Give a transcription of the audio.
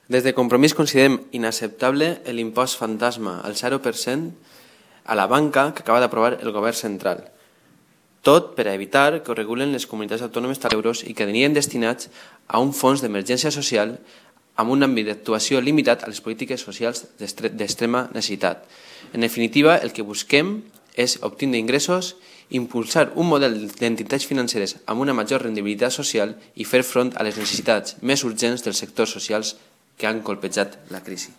Des de Compromís considerem inacceptable l'impost fantasma al 0% a la banca que acaba d'aprovar el govern central. Tot per a evitar que ho regulen les comunitats autònomes d'euros i que anirien destinats a un fons d'emergència social amb un àmbit d'actuació limitat a les polítiques socials d'extrema necessitat. En definitiva, el que busquem és obtenir ingressos, impulsar un model d'entitats financeres amb una major rendibilitat social i fer front a les necessitats més urgents dels sectors socials que han colpejat la crisi.